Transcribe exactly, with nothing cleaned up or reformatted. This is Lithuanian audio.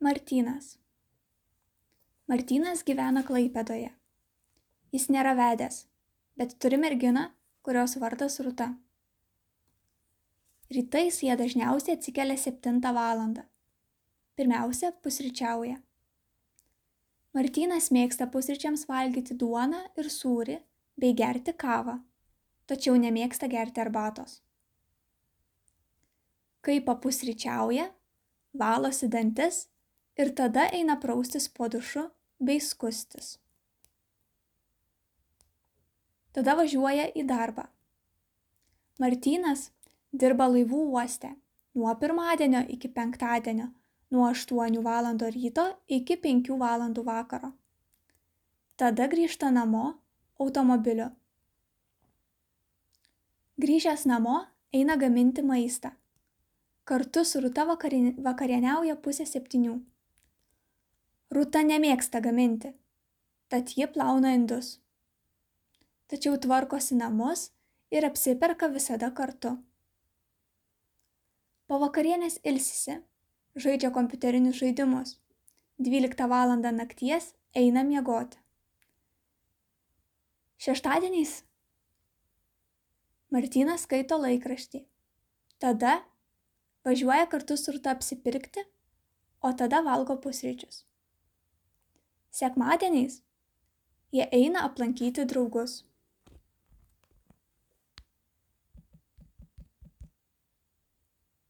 Martynas. Martynas gyvena Klaipėdoje. Jis nėra vedęs, bet turi merginą, kurios vardas Rūta. Rytais jie dažniausiai atsikelia septintą valandą. Pirmiausia, pusryčiauja. Martynas mėgsta pusryčiams valgyti duoną ir sūrį bei gerti kavą, tačiau nemėgsta gerti arbatos. Kai papusryčiauja, valosi dantis ir tada eina praustis po dušu bei skustis. Tada važiuoja į darbą. Martynas dirba laivų uoste nuo pirmadienio iki penktadienio, nuo aštuonių valandų ryto iki penkių valandų vakaro. Tada grįžta namo automobiliu. Grįžęs namo eina gaminti maistą. Kartu su Rūta vakarieniauja pusę septynių. Rūta nemėgsta gaminti, tad ji plauna indus. Tačiau tvarkosi namus ir apsiperka visada kartu. Po vakarienės ilsisi, žaidžia kompiuterinius žaidimus. dvyliktą valandą nakties eina miegoti. Šeštadieniais Martynas skaito laikraštį. Tada važiuoja kartu su Rūta apsipirkti, o tada valgo pusryčius. Sekmadieniais jie eina aplankyti draugus.